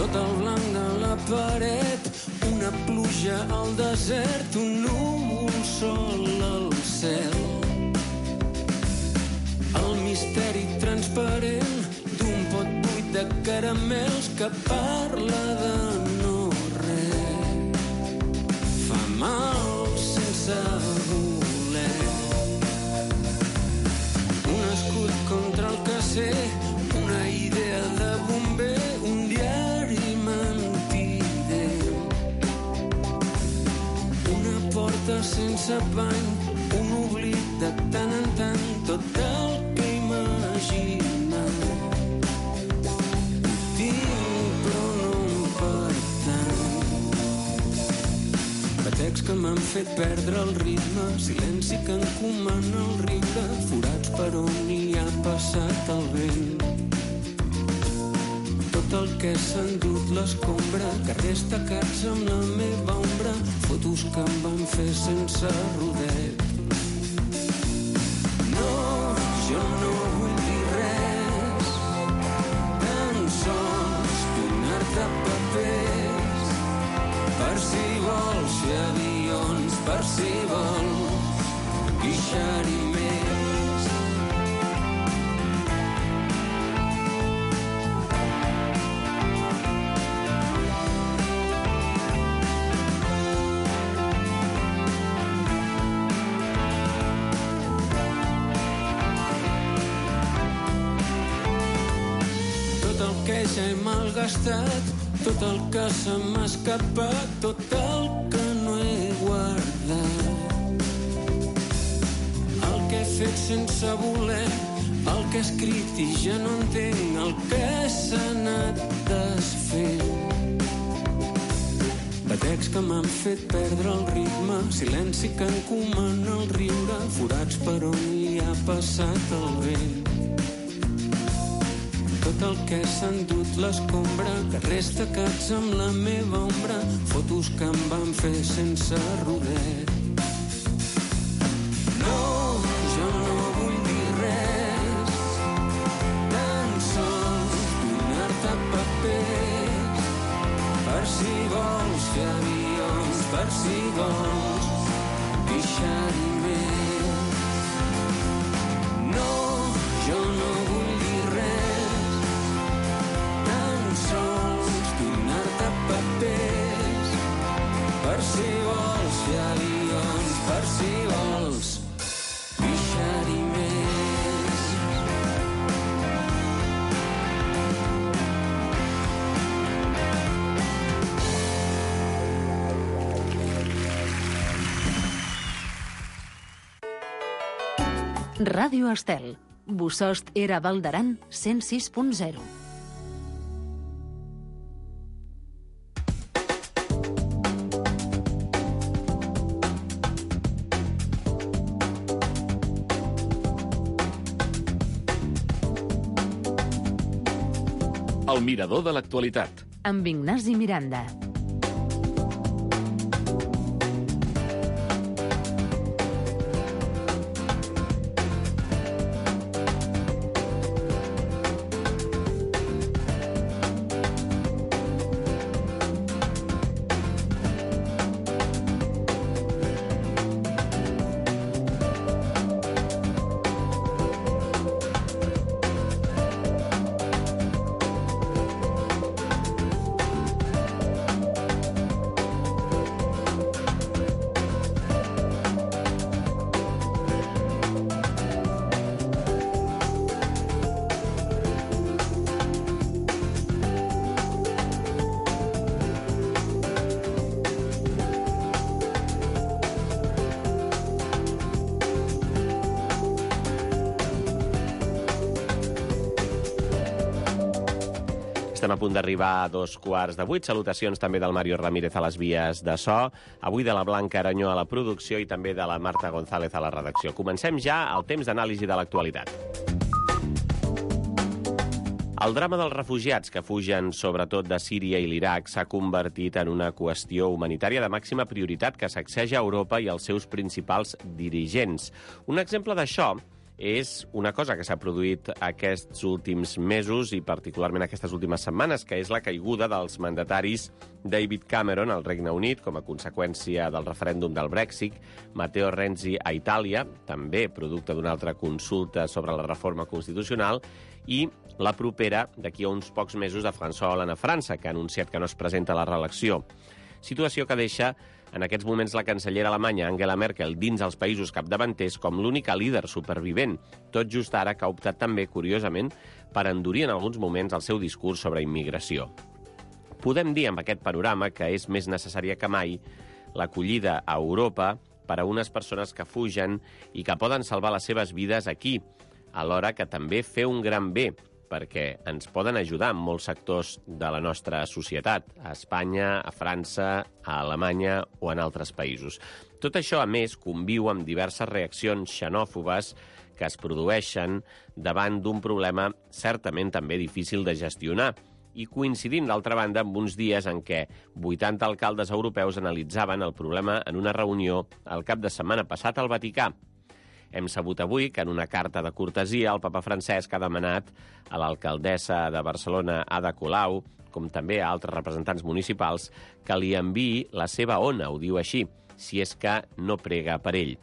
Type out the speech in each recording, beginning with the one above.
tot el blanc de la paret, una pluja al desert, un núvol sol al cel. El misteri transparent d'un pot buit de caramels que parla de no res. Fa mal sense voler. Un escut contra el caser, una idea de bomber, un diari mentider. Una porta sense pany, un oblit de tant en tant, tot el que imaginat. Tinc, però no em pertany. Batecs que m'han fet perdre el ritme, silenci que encomana el riure, forats per on hi ha passat el vent. Tot el que s'ha endut l'escombra, carrers tacats amb la meva ombra, fotos que em van fer sense rodet. No, jo no vull dir res, tan sols donar de papers, per si vols fer avions, per si vols guixar-hi més. Que ja he malgastat, tot el que se m'ha escapat, tot el que no he guardat. El que he fet sense voler, el que he escrit i ja no entenc, el que s'ha anat desfent. Batecs que m'han fet perdre el ritme, silenci que encomana el riure, forats per on hi ha passat el vent. Tot el que s'ha endut l'escombra, carrers tacats amb la meva ombra, fotos que em van fer sense rodet. No, jo no vull dir res, tan sols donar-te papers, per si vols fer avions, per si vols guixar-hi més. No, jo no vull dir res, sols donar-te papers, per si vols fer avions, per si vols guixar-hi més. Ràdio Estel. Bossòst era Val d'Aran 106.0. El mirador de l'actualitat. Amb Ignasi Miranda. Estem a punt d'arribar a 7:15. Salutacions també del Mario Ramírez a les vies de so, avui de la Blanca Aranyó a la producció i també de la Marta González a la redacció. Comencem ja el temps d'anàlisi de l'actualitat. El drama dels refugiats que fugen sobretot de Síria i l'Iraq s'ha convertit en una qüestió humanitària de màxima prioritat que sacseja Europa i els seus principals dirigents. Un exemple d'això és una cosa que s'ha produït aquests últims mesos i particularment aquestes últimes setmanes, que és la caiguda dels mandataris David Cameron al Regne Unit com a conseqüència del referèndum del Brexit, Matteo Renzi a Itàlia, també producte d'una altra consulta sobre la reforma constitucional, i la propera, d'aquí a uns pocs mesos, de François Hollande a França, que ha anunciat que no es presenta a la reelecció. Situació que deixa en aquests moments la cancellera alemanya Angela Merkel dins els països capdavanters com l'única líder supervivent, tot just ara que ha optat també, curiosament, per endurir en alguns moments el seu discurs sobre immigració. Podem dir amb aquest panorama que és més necessària que mai l'acollida a Europa per a unes persones que fugen i que poden salvar les seves vides aquí, alhora que també fer un gran bé, perquè ens poden ajudar en molts sectors de la nostra societat, a Espanya, a França, a Alemanya o en altres països. Tot això, a més, conviu amb diverses reaccions xenòfobes que es produeixen davant d'un problema certament també difícil de gestionar, i coincidint, d'altra banda, amb uns dies en què 80 alcaldes europeus analitzaven el problema en una reunió el cap de setmana passat al Vaticà. Hem sabut avui que en una carta de cortesia el papa Francesc ha demanat a l'alcaldessa de Barcelona, Ada Colau, com també a altres representants municipals, que li enviï la seva ona, ho diu així, si és que no prega per ell.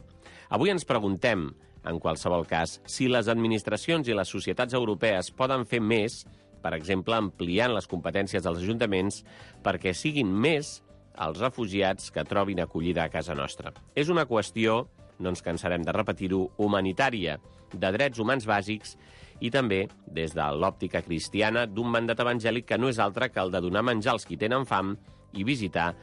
Avui ens preguntem, en qualsevol cas, si les administracions i les societats europees poden fer més, per exemple, ampliant les competències dels ajuntaments, perquè siguin més els refugiats que trobin acollida a casa nostra. És una qüestió, no ens cansarem de repetir-ho, humanitària, de drets humans bàsics i també, des de l'òptica cristiana, d'un mandat evangèlic que no és altre que el de donar menjar als qui tenen fam i visitar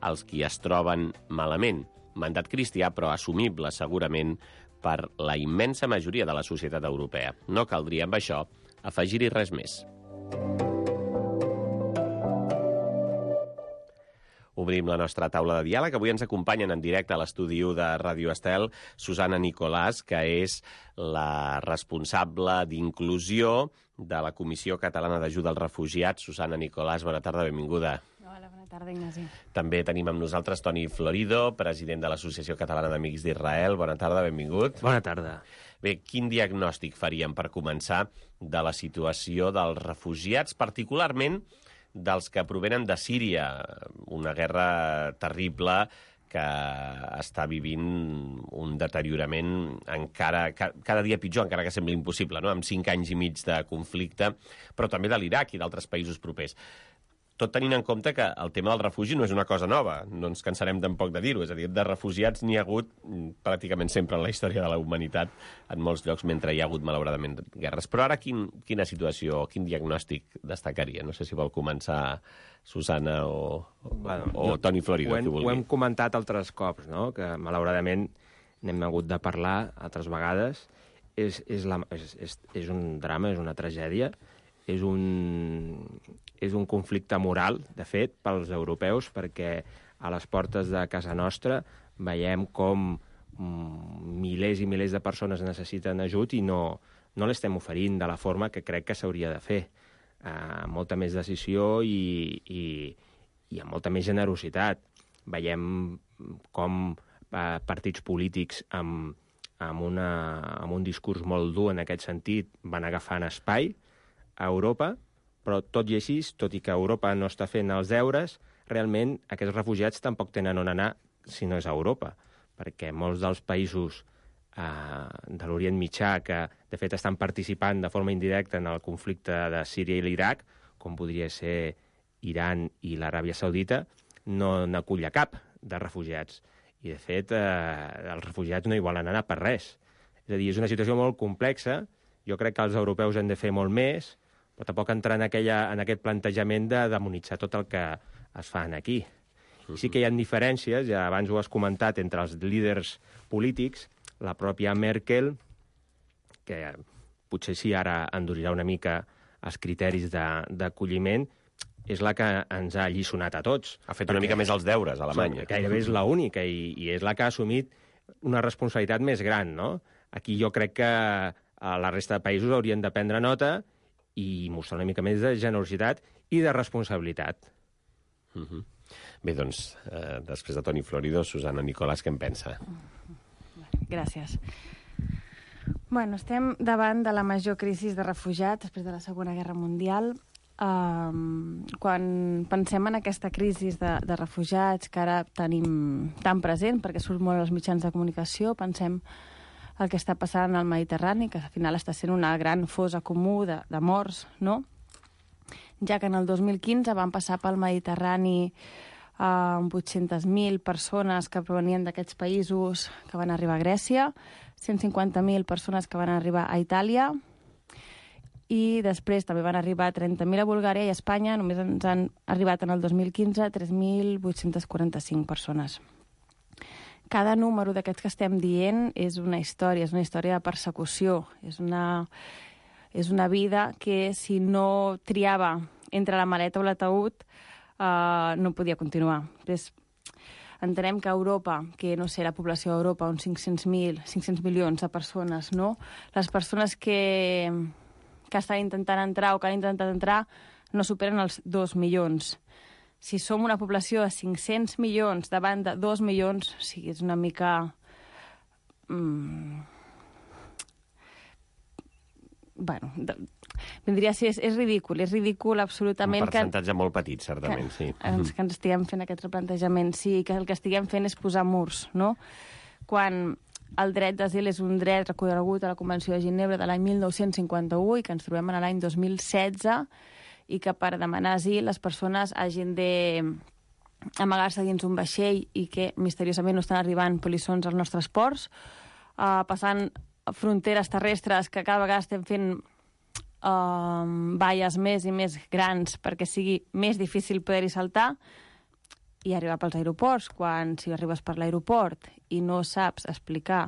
els qui es troben malament. Mandat cristià, però assumible, segurament, per la immensa majoria de la societat europea. No caldria, amb això, afegir-hi res més. Obrim la nostra taula de diàleg. Avui ens acompanyen en directe a l'estudi 1 de Ràdio Estel Susana Nicolàs, que és la responsable d'inclusió de la Comissió Catalana d'Ajuda als Refugiats. Susana Nicolàs, bona tarda, benvinguda. Hola, bona tarda, Ignasi. També tenim amb nosaltres Toni Florido, president de l'Associació Catalana d'Amics d'Israel. Bona tarda, benvingut. Bona tarda. Bé, quin diagnòstic faríem per començar de la situació dels refugiats, particularment dels que provenen de Síria, una guerra terrible que està vivint un deteriorament encara cada dia pitjor, encara que sembli impossible, no? Amb 5 anys i mig de conflicte, però també de l'Iraq i d'altres països propers. Tot tenint en compte que el tema del refugi no és una cosa nova, no ens cansarem tampoc de dir-ho, és a dir, de refugiats n'hi ha hagut pràcticament sempre en la història de la humanitat, en molts llocs, mentre hi ha hagut, malauradament, guerres. Però ara quina situació, quin diagnòstic destacaria? No sé si vol començar Susana o Toni Florido, qui vulgui. Ho hem comentat altres cops, no? Que malauradament n'hem hagut de parlar altres vegades. És un drama, és una tragèdia, és un conflicte moral, de fet, pels europeus, perquè a les portes de casa nostra veiem com milers i milers de persones necessiten ajut i no l'estem oferint de la forma que crec que s'hauria de fer. Amb molta més decisió i amb molta més generositat. Veiem com partits polítics amb un discurs molt dur en aquest sentit van agafant espai a Europa, però tot i així, tot i que Europa no està fent els deures, realment aquests refugiats tampoc tenen on anar si no és a Europa, perquè molts dels països de l'Orient Mitjà, que de fet estan participant de forma indirecta en el conflicte de Síria i l'Iraq, com podria ser Iran i l'Aràbia Saudita, no n'acull cap de refugiats. I, de fet, els refugiats no hi volen anar per res. És a dir, és una situació molt complexa. Jo crec que els europeus hem de fer molt més, però tampoc entrar en aquest plantejament de demonitzar tot el que es fa aquí. Sí que hi ha diferències, ja abans ho has comentat, entre els líders polítics. La pròpia Merkel, que potser sí ara endurirà una mica els criteris d'acolliment, és la que ens ha alliçonat a tots. Ha fet una mica més els deures, a Alemanya. Gairebé és l'única i és la que ha assumit una responsabilitat més gran, no? Aquí jo crec que la resta de països haurien de prendre nota i mostrar una mica més de generositat i de responsabilitat. Bé, doncs, després de Toni Florido, Susana Nicolàs, què en pensa? Gràcies. Bueno, estem davant de la major crisi de refugiats després de la Segona Guerra Mundial. Quan pensem en aquesta crisi de refugiats que ara tenim tan present, perquè surt molt als mitjans de comunicació, pensem el que està passant al Mediterrani, que al final està sent una gran fosa comú de morts, no? Ja que en el 2015 van passar pel Mediterrani 800.000 persones que provenien d'aquests països que van arribar a Grècia, 150.000 persones que van arribar a Itàlia, i després també van arribar 30.000 a Bulgària, i a Espanya només ens han arribat en el 2015 3.845 persones. Cada número d'aquests que estem dient és una història de persecució, és una vida que si no triava entre la maleta o l'ataúd no podia continuar. Després, entenem que a Europa, que no sé, la població d'Europa, uns 500 milions de persones, no? Les persones que estan intentant entrar o que han intentat entrar no superen els 2 milions. Si som una població de 500 milions davant de 2 milions, sí, és una mica... Bueno, vindria a ser... És ridícul absolutament... Un percentatge molt petit, certament, sí. Que ens estiguem fent aquest replantejament, sí, que el que estiguem fent és posar murs, no? Quan el dret d'asil és un dret reconegut a la Convenció de Ginebra de l'any 1951 i que ens trobem en l'any 2016, i que per demanar asil les persones hagin de amagar-se dins un vaixell i que misteriosament no estan arribant polissons als nostres ports, passant fronteres terrestres que cada vegada estem fent valles més i més grans perquè sigui més difícil poder-hi saltar, i arribar pels aeroports, quan si arribes per l'aeroport i no saps explicar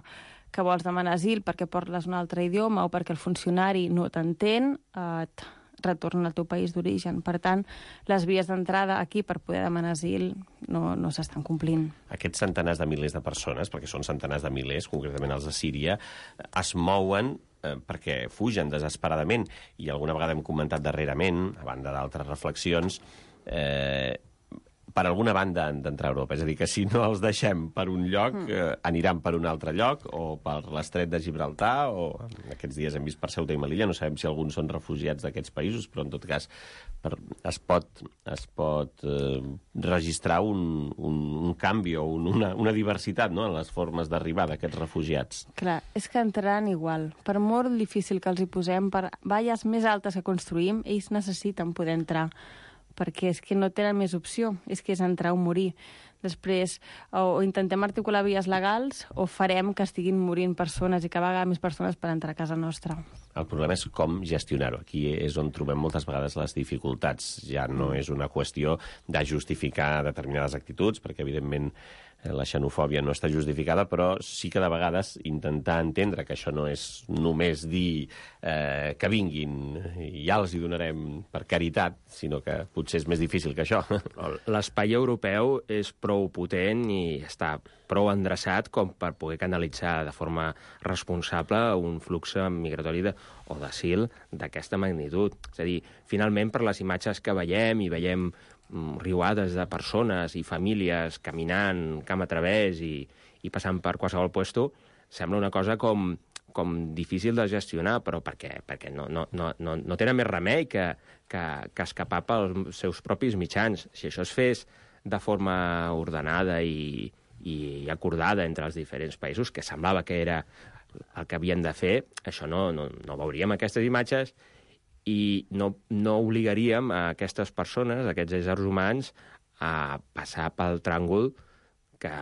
que vols demanar asil perquè parles un altre idioma o perquè el funcionari no t'entén, et retorna al teu país d'origen. Per tant, les vies d'entrada aquí per poder demanar asil no s'estan complint. Aquests centenars de milers de persones, perquè són centenars de milers, concretament els de Síria, es mouen perquè fugen desesperadament, i alguna vegada hem comentat darrerament, a banda d'altres reflexions, per alguna banda han d'entrar a Europa. És a dir, que si no els deixem per un lloc, aniran per un altre lloc, o per l'estret de Gibraltar, o aquests dies hem vist per Ceuta i Melilla, no sabem si alguns són refugiats d'aquests països, però en tot cas es pot registrar un canvi o una diversitat, no?, en les formes d'arribar d'aquests refugiats. Clar, és que entraran igual. Per molt difícil que els hi posem, per valles més altes que construïm, ells necessiten poder entrar, perquè és que no tenen més opció, és que és entrar o morir. Després, o intentem articular vies legals, o farem que estiguin morint persones i que vagin més persones per entrar a casa nostra. El problema és com gestionar-ho. Aquí és on trobem moltes vegades les dificultats. Ja no és una qüestió de justificar determinades actituds, perquè, evidentment, la xenofòbia no està justificada, però sí que de vegades intentar entendre que això no és només dir que vinguin i ja els hi donarem per caritat, sinó que potser és més difícil que això. L'espai europeu és prou potent i està prou endreçat com per poder canalitzar de forma responsable un flux migratori o d'asil d'aquesta magnitud. És a dir, finalment, per les imatges que veiem, i veiem riuades de persones i famílies caminant camp a través i passant per qualsevol puesto, sembla una cosa com difícil de gestionar, però perquè no tenen més remei que escapar pels seus propis mitjans. Si això es fes de forma ordenada i acordada entre els diferents països, que semblava que era el que havien de fer, això no veuríem aquestes imatges i no obligaríem a aquestes persones, a aquests éssers humans, a passar pel tràngol que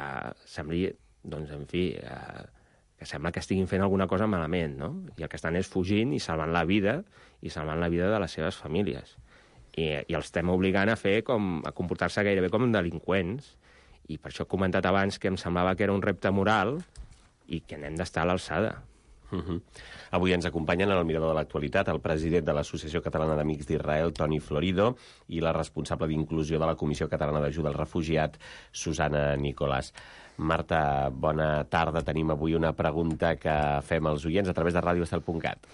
sembli, doncs, en fi, que sembla que estiguin fent alguna cosa malament, no? I el que estan és fugint i salvant la vida de les seves famílies. I els estem obligant a comportar-se gairebé com delinqüents, i per això he comentat abans que em semblava que era un repte moral i que n'hem d'estar a l'alçada. Avui ens acompanyen en el Mirador de l'Actualitat el president de l'Associació Catalana d'Amics d'Israel, Toni Florido, i la responsable d'Inclusió de la Comissió Catalana d'Ajuda al Refugiat, Susana Nicolàs. Marta, bona tarda. Tenim avui una pregunta que fem als oients a través de radioestel.cat.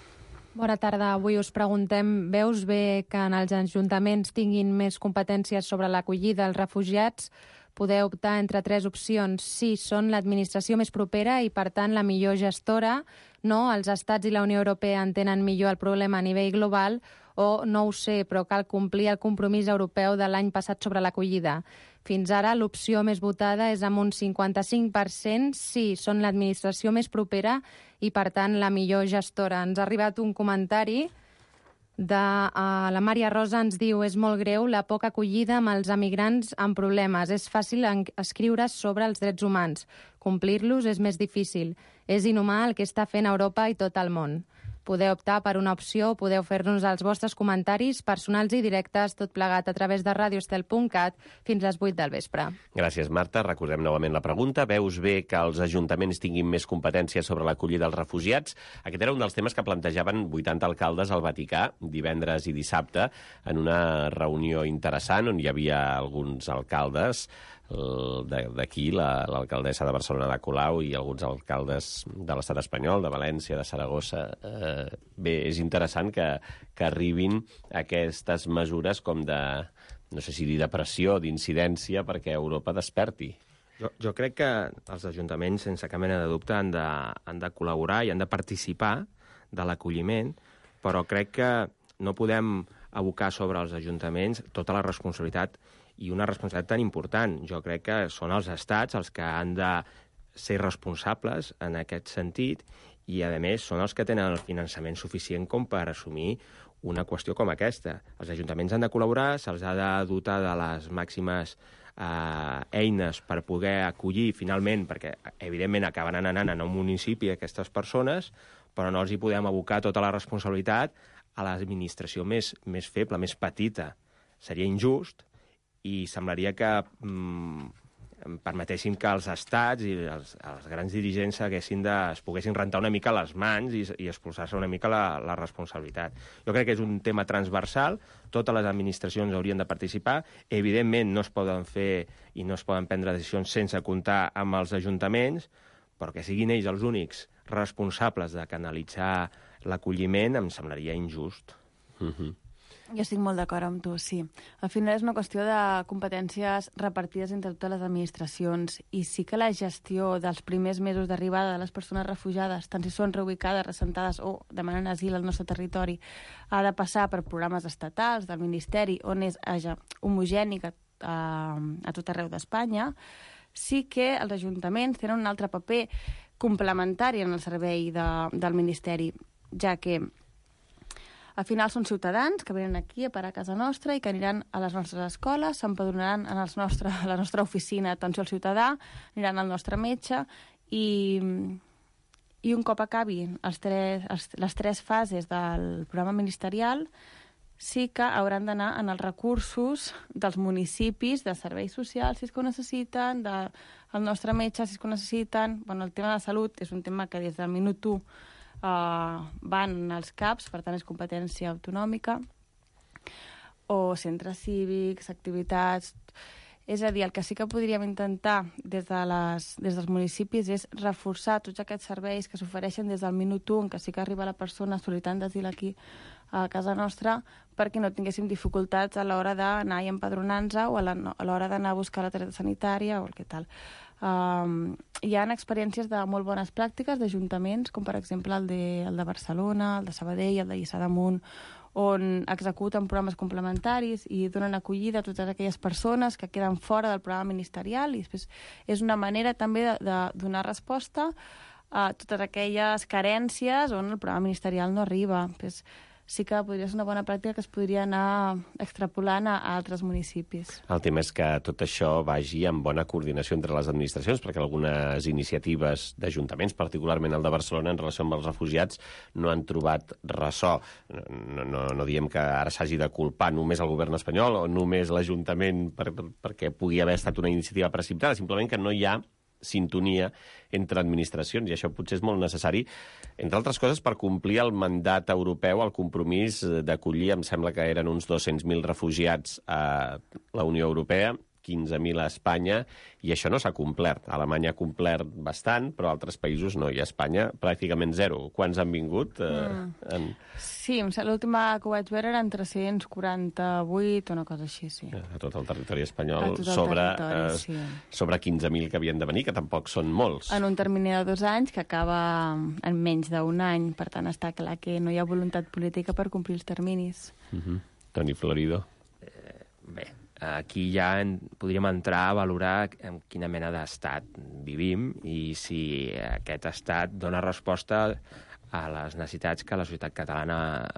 Bona tarda. Avui us preguntem, veus bé que en els ajuntaments tinguin més competències sobre l'acollida als refugiats? Podeu optar entre 3 opcions. Sí, són l'administració més propera i, per tant, la millor gestora. no, els estats i la Unió Europea entenen millor el problema a nivell global, o no ho sé, però cal complir el compromís europeu de l'any passat sobre l'acollida. Fins ara, l'opció més votada és amb un 55% sí, són l'administració més propera i, per tant, la millor gestora. Ens ha arribat un comentari de la Maria Rosa, ens diu: és molt greu la poca acollida amb els emigrants amb problemes. És fàcil escriure sobre els drets humans. Complir-los és més difícil. És inhumà el que està fent Europa i tot el món. Podeu optar per una opció o podeu fer-nos els vostres comentaris personals i directes, tot plegat a través de radioestel.cat fins les 8 del vespre. Gràcies, Marta. Recordem novament la pregunta. Veus bé que els ajuntaments tinguin més competències sobre l'acollida dels refugiats? Aquest era un dels temes que plantejaven 80 alcaldes al Vaticà divendres i dissabte en una reunió interessant on hi havia alguns alcaldes d'aquí, l'alcaldessa de Barcelona, de Colau, i alguns alcaldes de l'estat espanyol, de València, de Saragossa. Bé, és interessant que arribin aquestes mesures com de, no sé si dir de pressió, d'incidència, perquè Europa desperti. Jo crec que els ajuntaments, sense cap mena de dubte, han de col·laborar i han de participar de l'acolliment, però crec que no podem abocar sobre els ajuntaments tota la responsabilitat, i una responsabilitat tan important. Jo crec que són els estats els que han de ser responsables en aquest sentit i, a més, són els que tenen el finançament suficient com per assumir una qüestió com aquesta. Els ajuntaments han de col·laborar, se'ls ha de dotar de les màximes eines per poder acollir finalment, perquè, evidentment, acabaran anant a un municipi aquestes persones, però no els hi podem abocar tota la responsabilitat a l'administració més feble, més petita. Seria injust, i semblaria que permetessin que els estats i els grans dirigents es poguessin rentar una mica les mans i expulsar-se una mica la responsabilitat. Jo crec que és un tema transversal, totes les administracions haurien de participar, evidentment no es poden fer i no es poden prendre decisions sense comptar amb els ajuntaments, però que siguin ells els únics responsables de canalitzar l'acolliment em semblaria injust. Jo estic molt d'acord amb tu, sí. Al final és una qüestió de competències repartides entre totes les administracions, i sí que la gestió dels primers mesos d'arribada de les persones refugiades, tant si són reubicades, ressentades o demanen asil al nostre territori, ha de passar per programes estatals del Ministeri, on és homogeni a tot arreu d'Espanya. Sí que els ajuntaments tenen un altre paper complementari en el servei del Ministeri, ja que al final són ciutadans que venen aquí a parar a casa nostra i que aniran a les nostres escoles, s'empadronaran a la nostra oficina d'atenció al ciutadà, aniran al nostre metge i un cop acabin les tres fases del programa ministerial sí que hauran d'anar en els recursos dels municipis, de serveis socials, si és que ho necessiten, del nostre metge, si és que ho necessiten. Bueno, el tema de la salut és un tema que des del minut 1 van als CAPs, per tant és competència autonòmica, o centres cívics, activitats. És a dir, el que sí que podríem intentar des dels municipis és reforçar tots aquests serveis que s'ofereixen des del minut 1, en què sí que arriba la persona sol·licitant d'asil aquí a casa nostra, perquè no tinguéssim dificultats a l'hora d'anar i empadronar-nos o a l'hora d'anar a buscar la targeta sanitària o el que tal. Hi ha experiències de molt bones pràctiques d'ajuntaments, com per exemple el de Barcelona, el de Sabadell, el de Lliçà d'Amunt, on executen programes complementaris i donen acollida a totes aquelles persones que queden fora del programa ministerial, i després és una manera també de donar resposta a totes aquelles carències on el programa ministerial no arriba. Després, sí que podria ser una bona pràctica que es podria anar extrapolant a altres municipis. El tema és que tot això vagi en bona coordinació entre les administracions, perquè algunes iniciatives d'ajuntaments, particularment el de Barcelona, en relació amb els refugiats, no han trobat ressò. No diem que ara s'hagi de culpar només el govern espanyol o només l'Ajuntament perquè pugui haver estat una iniciativa precipitada, simplement que no hi ha sintonia entre administracions, i això potser és molt necessari, entre altres coses, per complir el mandat europeu, el compromís d'acollir, em sembla que eren uns 200.000 refugiats a la Unió Europea, 15.000 a Espanya, i això no s'ha complert. Alemanya ha complert bastant, però altres països no, i a Espanya pràcticament zero. Quants han vingut? Sí, l'última que vaig veure eren 348 o una cosa així, sí. A tot el territori espanyol, sobre 15.000 que havien de venir, que tampoc són molts. En un termini de 2 anys, que acaba en menys d'un any, per tant està clar que no hi ha voluntat política per complir els terminis. Toni Florido. Bé, aquí ja podríem entrar a valorar en quina mena d'estat vivim i si aquest estat dona resposta a les necessitats que la societat catalana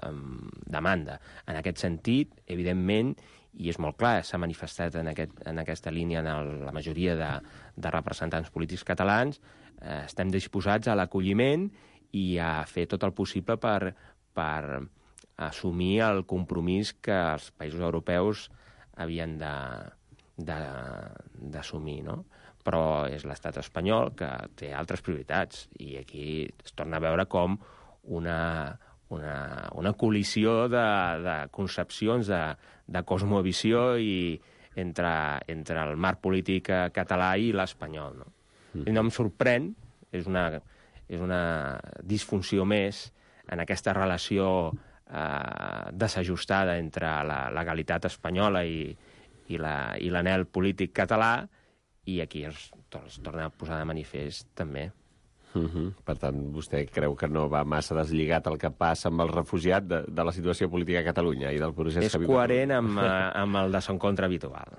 demanda. En aquest sentit, evidentment, i és molt clar, s'ha manifestat en aquesta línia en la majoria de representants polítics catalans, estem disposats a l'acolliment i a fer tot el possible per assumir el compromís que els països europeus havien d'assumir, no? Però és l'estat espanyol que té altres prioritats i aquí es torna a veure com una col·lisió de concepcions, de cosmovisió entre el marc polític català i l'espanyol, no? I no em sorprèn, és una disfunció més en aquesta relació desajustada entre la legalitat espanyola i l'anhel polític català, i aquí es torna a posar de manifest també. Per tant, vostè creu que no va massa deslligat el que passa amb el refugiat de la situació política a Catalunya i del procés que viu? És coherent amb el desencontre habitual.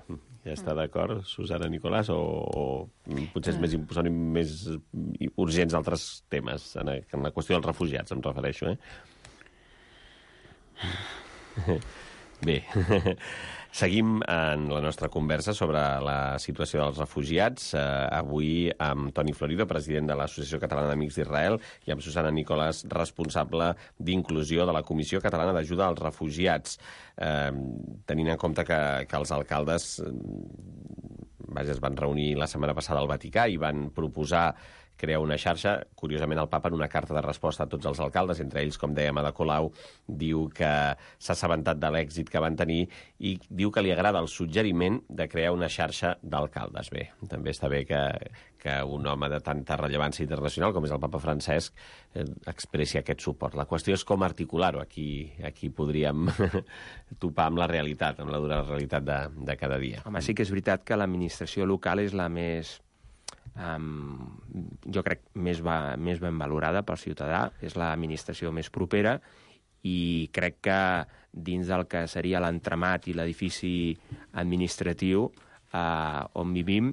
Ja està d'acord, Susana Nicolàs, o potser són més urgents altres temes en la qüestió dels refugiats, em refereixo, Bé, seguim en la nostra conversa sobre la situació dels refugiats, avui amb Toni Florido, president de l'Associació Catalana d'Amics d'Israel, i amb Susana Nicolàs, responsable d'inclusió de la Comissió Catalana d'Ajuda als Refugiats, tenint en compte que els alcaldes es van reunir la setmana passada al Vaticà i van proposar crear una xarxa. Curiosament, el papa, en una carta de resposta a tots els alcaldes, entre ells, com dèiem, Ada Colau, diu que s'ha assabentat de l'èxit que van tenir i diu que li agrada el suggeriment de crear una xarxa d'alcaldes. Bé, també està bé que un home de tanta rellevància internacional com és el papa Francesc expressi aquest suport. La qüestió és com articular-ho. Aquí podríem topar amb la realitat, amb la dura realitat de cada dia. Home, sí que és veritat que l'administració local és la més... jo crec més ben valorada pel ciutadà, és l'administració més propera, i crec que dins del que seria l'entramat i l'edifici administratiu on vivim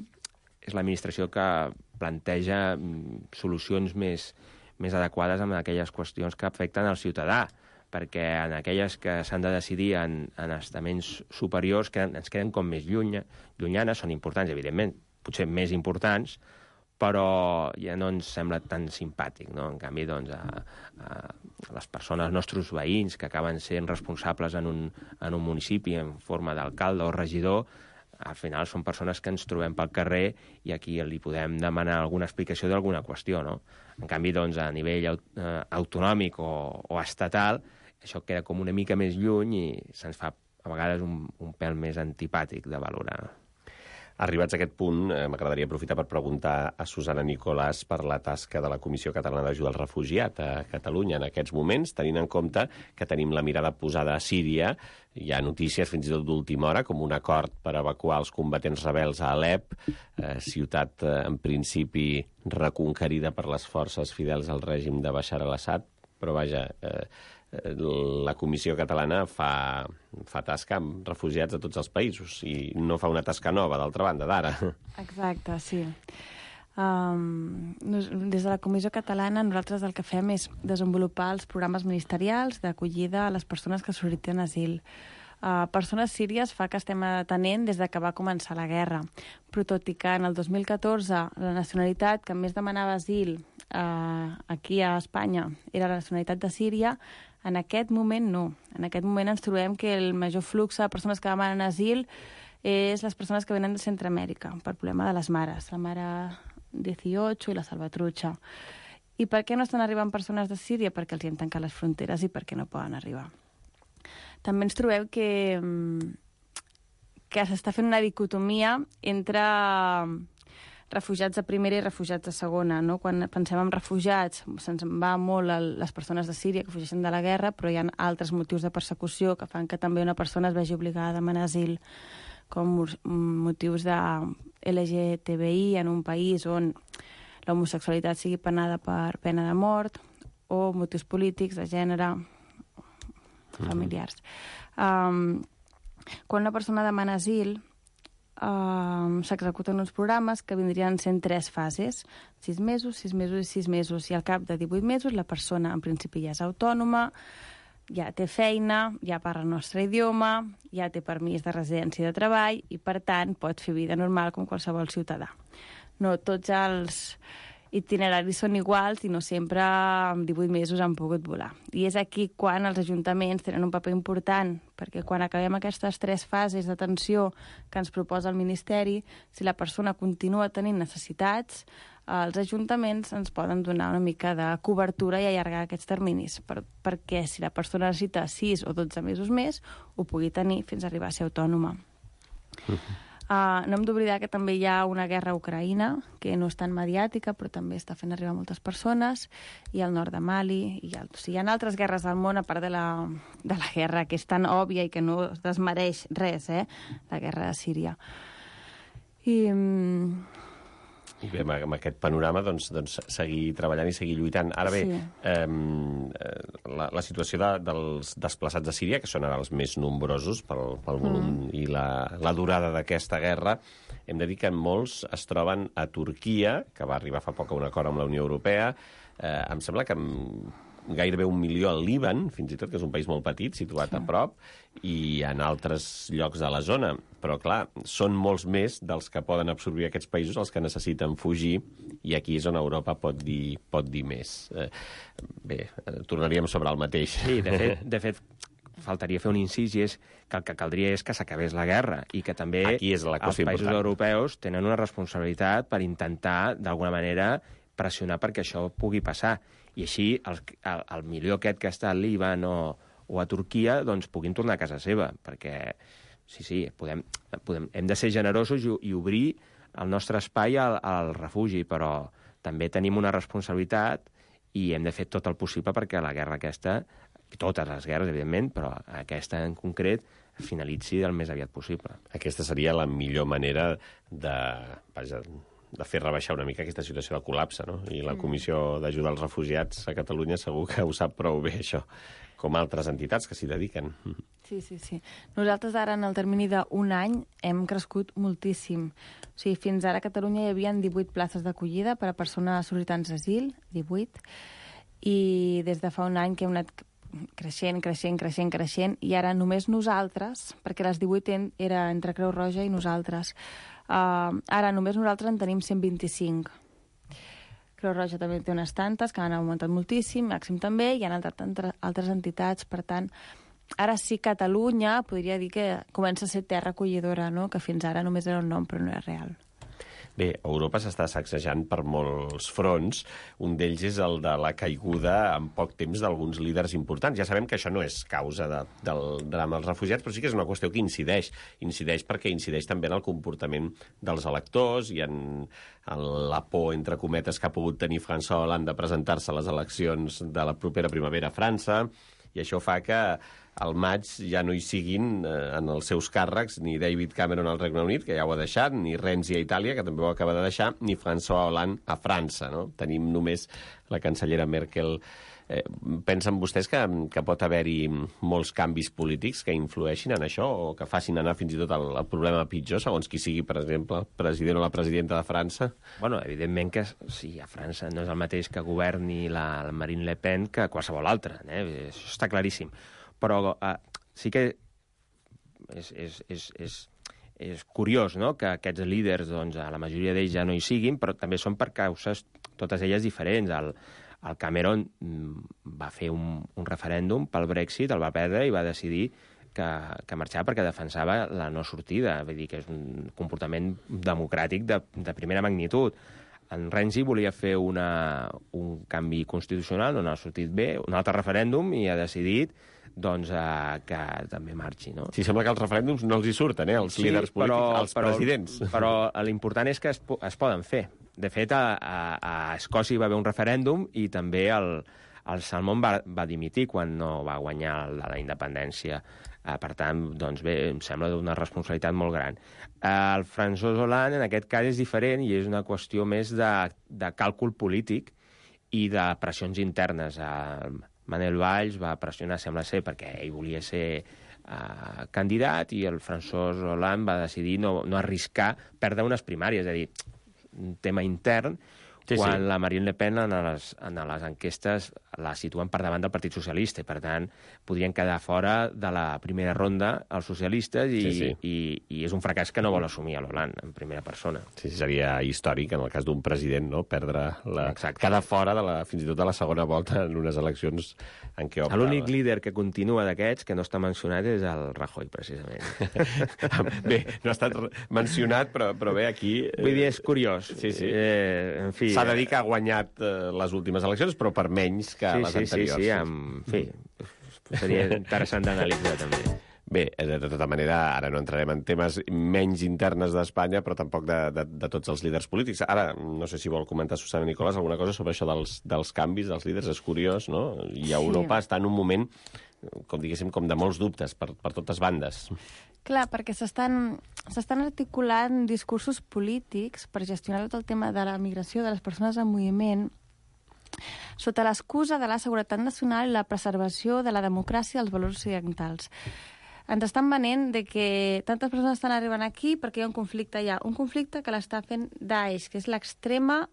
és l'administració que planteja solucions més adequades amb aquelles qüestions que afecten al ciutadà, perquè en aquelles que s'han de decidir en estaments superiors ens queden com més llunyanes, són importants, evidentment, potser més importants, però ja no ens sembla tan simpàtic, no? En canvi, doncs, les persones, els nostres veïns, que acaben sent responsables en un municipi en forma d'alcalde o regidor, al final són persones que ens trobem pel carrer i aquí li podem demanar alguna explicació d'alguna qüestió, no? En canvi, doncs, a nivell autonòmic o estatal, això queda com una mica més lluny i se'ns fa a vegades un pèl més antipàtic de valorar. Arribats a aquest punt, m'agradaria aprofitar per preguntar a Susana Nicolàs per la tasca de la Comissió Catalana d'Ajuda al Refugiat a Catalunya en aquests moments, tenint en compte que tenim la mirada posada a Síria. Hi ha notícies fins i tot d'última hora, com un acord per evacuar els combatents rebels a Alep, ciutat en principi reconquerida per les forces fidels al règim de Bashar al-Assad, però vaja... la Comissió Catalana fa tasca amb refugiats de tots els països i no fa una tasca nova, d'altra banda, d'ara. Exacte, sí. Des de la Comissió Catalana nosaltres el que fem és desenvolupar els programes ministerials d'acollida a les persones que sol·liciten asil. Persones síries fa que estem atenent des que va començar la guerra, però tot i que en el 2014 la nacionalitat que més demanava asil aquí a Espanya era la nacionalitat de Síria, en aquest moment no. En aquest moment ens trobem que el major flux de persones que demanen asil és les persones que venen de Centroamèrica, per problema de les mares, la mare 18 i la Salvatrucha. I per què no estan arribant persones de Síria? Perquè els hi han tancat les fronteres i perquè no poden arribar. També ens trobem que que s'està fent una dicotomia entre refugiats de primera i refugiats de segona, no? Quan pensem en refugiats, se'ns va molt les persones de Síria que fugeixen de la guerra, però hi ha altres motius de persecució que fan que també una persona es vegi obligada a demanar asil, com motius de LGTBI en un país on l'homosexualitat sigui penada per pena de mort, o motius polítics, de gènere, familiars. Quan una persona demana asil, s'executen uns programes que vindrien sent 3 fases, 6 mesos, 6 mesos i 6 mesos, i al cap de 18 mesos la persona en principi ja és autònoma, ja té feina, ja parla el nostre idioma, ja té permís de residència i de treball i, per tant, pot fer vida normal com qualsevol ciutadà. No tots els itineraris són iguals i no sempre en 18 mesos han pogut volar. I és aquí quan els ajuntaments tenen un paper important, perquè quan acabem aquestes 3 fases d'atenció que ens proposa el Ministeri, si la persona continua tenint necessitats, els ajuntaments ens poden donar una mica de cobertura i allargar aquests terminis, perquè si la persona necessita 6 o 12 mesos més, ho pugui tenir fins a arribar a ser autònoma. No hem d'oblidar que també hi ha una guerra a Ucraïna, que no és tan mediàtica, però també està fent arribar moltes persones, i al nord de Mali, hi ha altres guerres al món, a part de la guerra que és tan òbvia i que no es desmereix res, la guerra de Síria. I bé, amb aquest panorama, doncs, seguir treballant i seguir lluitant. Ara bé, la situació dels desplaçats de Síria, que són ara els més nombrosos pel volum i la durada d'aquesta guerra, hem de dir que molts es troben a Turquia, que va arribar fa poc a un acord amb la Unió Europea. Em sembla que gairebé 1 milió al Líban, fins i tot, que és un país molt petit, situat a prop, i en altres llocs de la zona. Però, clar, són molts més dels que poden absorbir aquests països els que necessiten fugir, i aquí és on Europa pot dir més. Bé, tornaríem sobre el mateix. Sí, de fet, faltaria fer un incís, i és que el que caldria és que s'acabés la guerra, i que també els països europeus tenen una responsabilitat per intentar, d'alguna manera, pressionar perquè això pugui passar. I així el milió aquest que està al Líban o a Turquia doncs puguin tornar a casa seva, perquè sí, hem de ser generosos i obrir el nostre espai al refugi, però també tenim una responsabilitat i hem de fer tot el possible perquè la guerra aquesta, totes les guerres, evidentment, però aquesta en concret, finalitzi el més aviat possible. Aquesta seria la millor manera de fer rebaixar una mica aquesta situació de col·lapse, no? I la Comissió d'Ajuda als Refugiats a Catalunya segur que ho sap prou bé, això, com altres entitats que s'hi dediquen. Sí. Nosaltres ara, en el termini d'un any, hem crescut moltíssim. O sigui, fins ara a Catalunya hi havia 18 places d'acollida per a persones sol·licitants d'asil, 18, i des de fa un any que hem anat creixent, i ara només nosaltres, perquè les 18 era entre Creu Roja i nosaltres, ara només nosaltres en tenim 125. Creu Roja també té unes tantes que han augmentat moltíssim, Màxim també, i han entrat altres entitats. Per tant, ara sí Catalunya podria dir que comença a ser terra acollidora, no? Que fins ara només era un nom però no era real. Bé, Europa s'està sacsejant per molts fronts. Un d'ells és el de la caiguda en poc temps d'alguns líders importants. Ja sabem que això no és causa del drama dels refugiats, però sí que és una qüestió que incideix. Incideix perquè incideix també en el comportament dels electors i en la por, entre cometes, que ha pogut tenir François Hollande de presentar-se a les eleccions de la propera primavera a França, i això fa que al maig ja no hi siguin en els seus càrrecs ni David Cameron al Regne Unit, que ja ho ha deixat, ni Renzi a Itàlia, que també ho acaba de deixar, ni François Hollande a França, no? Tenim només la cancellera Merkel. Pensen vostès que pot haver-hi molts canvis polítics que influeixin en això o que facin anar fins i tot el problema pitjor, segons qui sigui, per exemple, el president o la presidenta de França? Bueno, evidentment que sí, a França no és el mateix que governi la Marine Le Pen que qualsevol altra, això està claríssim. Però sí que és curiós, no?, que aquests líders, doncs, la majoria d'ells ja no hi siguin, però també són per causes, totes elles diferents. El Cameron va fer un referèndum pel Brexit, el va perdre i va decidir que marxava perquè defensava la no sortida. Vull dir que és un comportament democràtic de primera magnitud. En Renzi volia fer un canvi constitucional, no ha sortit bé, un altre referèndum, i ha decidit doncs que també marxi, no? Sí, sembla que els referèndums no els hi surten, els líders polítics, els presidents. Però l'important és que es poden fer. De fet, a Escòcia hi va haver un referèndum i també el Salmond va dimitir quan no va guanyar la independència. Per tant, doncs bé, em sembla d'una responsabilitat molt gran. El François Hollande, en aquest cas, és diferent i és una qüestió més de càlcul polític i de pressions internes. Manuel Valls va pressionar, sembla ser, perquè ell volia ser candidat i el François Hollande va decidir no arriscar perdre unes primàries, és a dir, un tema intern, quan la Marine Le Pen en les enquestes la situen per davant del Partit Socialista i, per tant, podrien quedar fora de la primera ronda els socialistes i és un fracàs que no vol assumir l'Hollande en primera persona. Sí, seria històric, en el cas d'un president, no? Perdre quedar fora fins i tot de la segona volta en unes eleccions en què opta... L'únic líder que continua d'aquests, que no està mencionat, és el Rajoy, precisament. Bé, no ha estat mencionat, però bé, aquí... Vull dir, és curiós. Sí. En fi... S'ha de dir que ha guanyat les últimes eleccions, però per menys que les anteriors. Sí, en fi, seria interessant d'analitzar, també. Bé, de tota manera, ara no entrarem en temes menys internes d'Espanya, però tampoc de tots els líders polítics. Ara, no sé si vol comentar Susana Nicolás alguna cosa sobre això dels canvis dels líders. És curiós, no? I Europa està en un moment, com diguéssim, com de molts dubtes per totes bandes. Clar, perquè s'estan articulant discursos polítics per gestionar tot el tema de la migració de les persones en moviment sota l'excusa de la seguretat nacional i la preservació de la democràcia i els valors occidentals. Ens estan venent de que tantes persones estan arribant aquí perquè hi ha un conflicte allà. Un conflicte que l'està fent Daesh, que és l'extrema...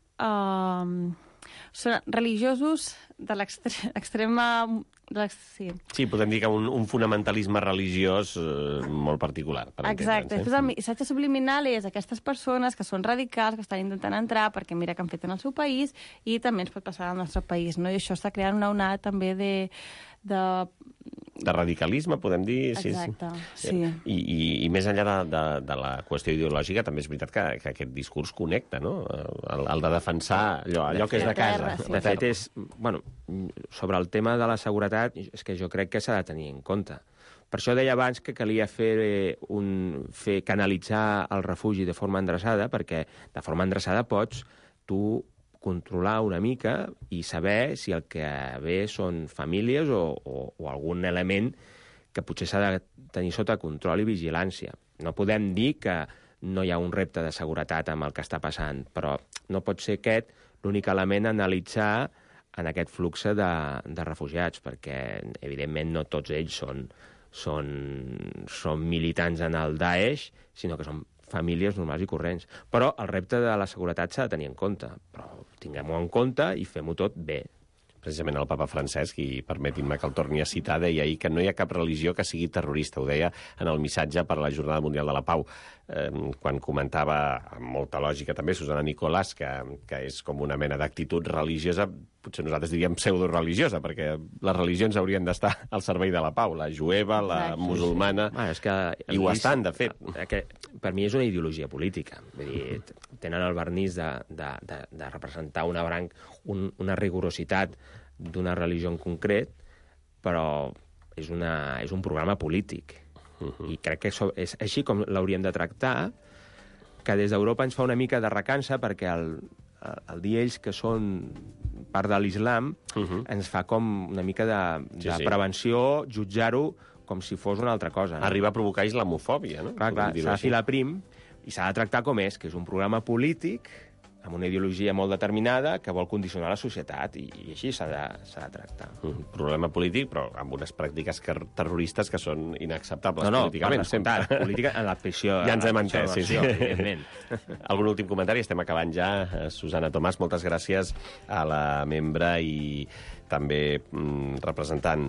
són religiosos de l'extrema... Sí, podem dir que un fonamentalisme religiós molt particular. Exacte. Després el missatge subliminal és aquestes persones que són radicals, que estan intentant entrar perquè mira que han fet en el seu país i també ens pot passar al nostre país, no? I això està creant una onada també de radicalisme, podem dir. Exacte, sí. I més enllà de la qüestió ideològica, també és veritat que aquest discurs connecta, no? El de defensar allò que és de casa. De fet, sobre el tema de la seguretat, és que jo crec que s'ha de tenir en compte. Per això deia abans que calia canalitzar el refugi de forma endreçada, perquè de forma endreçada pots tu controlar una mica i saber si el que ve són famílies o algun element que potser s'ha de tenir sota control i vigilància. No podem dir que no hi ha un repte de seguretat amb el que està passant, però no pot ser aquest l'únic element a analitzar en aquest flux de refugiats, perquè, evidentment, no tots ells són militants en el Daesh, sinó que són famílies normals i corrents. Però el repte de la seguretat s'ha de tenir en compte. Però tinguem-ho en compte i fem-ho tot bé. Precisament el papa Francesc, i permetin-me que el torni a citar, deia ahir que no hi ha cap religió que sigui terrorista. Ho deia en el missatge per la Jornada Mundial de la Pau, quan comentava, amb molta lògica també, Susana Nicolás, que és com una mena d'actitud religiosa, potser nosaltres diríem pseudoreligiosa, perquè les religions haurien d'estar al servei de la pau, la jueva, la musulmana, i ho estan, de fet. Per mi és una ideologia política. Vull dir, tenen el vernís de representar una rigorositat d'una religió en concret, però és un programa polític. I crec que és així com l'hauríem de tractar, que des d'Europa ens fa una mica de recança, perquè el dir ells que són part de l'islam ens fa com una mica de prevenció, jutjar-ho com si fos una altra cosa. Arriba a provocar islamofòbia, no? Clar, s'ha de filar prim i s'ha de tractar com és, que és un programa polític amb una ideologia molt determinada que vol condicionar la societat, i així s'ha de tractar. Problema polític, però amb unes pràctiques terroristes que són inacceptables políticament. No, política en la pressió. Ja ens hem entès, sí. Evidentment. Algun últim comentari? Estem acabant ja. Susana Tomàs, moltes gràcies a la membre i també representant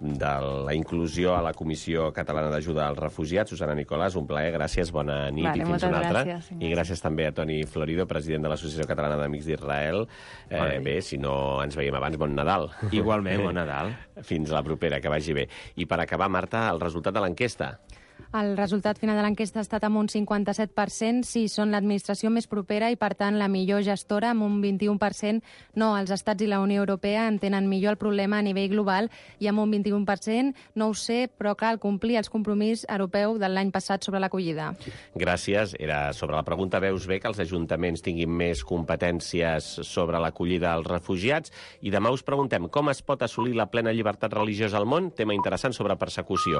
de la inclusió a la Comissió Catalana d'Ajuda als Refugiats. Susana Nicolás, un plaer, gràcies, bona nit i fins una altra. I gràcies també a Toni Florido, president de l'Associació Catalana d'Amics d'Israel. Bé, si no ens veiem abans, bon Nadal. Igualment, bon Nadal. Fins la propera, que vagi bé. I per acabar, Marta, el resultat de l'enquesta. El resultat final de l'enquesta ha estat amb un 57%, sí, són l'administració més propera i, per tant, la millor gestora, amb un 21%. No, els estats i la Unió Europea entenen millor el problema a nivell global i amb un 21%, no ho sé, però cal complir els compromisos europeus de l'any passat sobre l'acollida. Gràcies. Era sobre la pregunta: veus bé que els ajuntaments tinguin més competències sobre l'acollida dels refugiats? I demà us preguntem com es pot assolir la plena llibertat religiosa al món, tema interessant sobre persecució.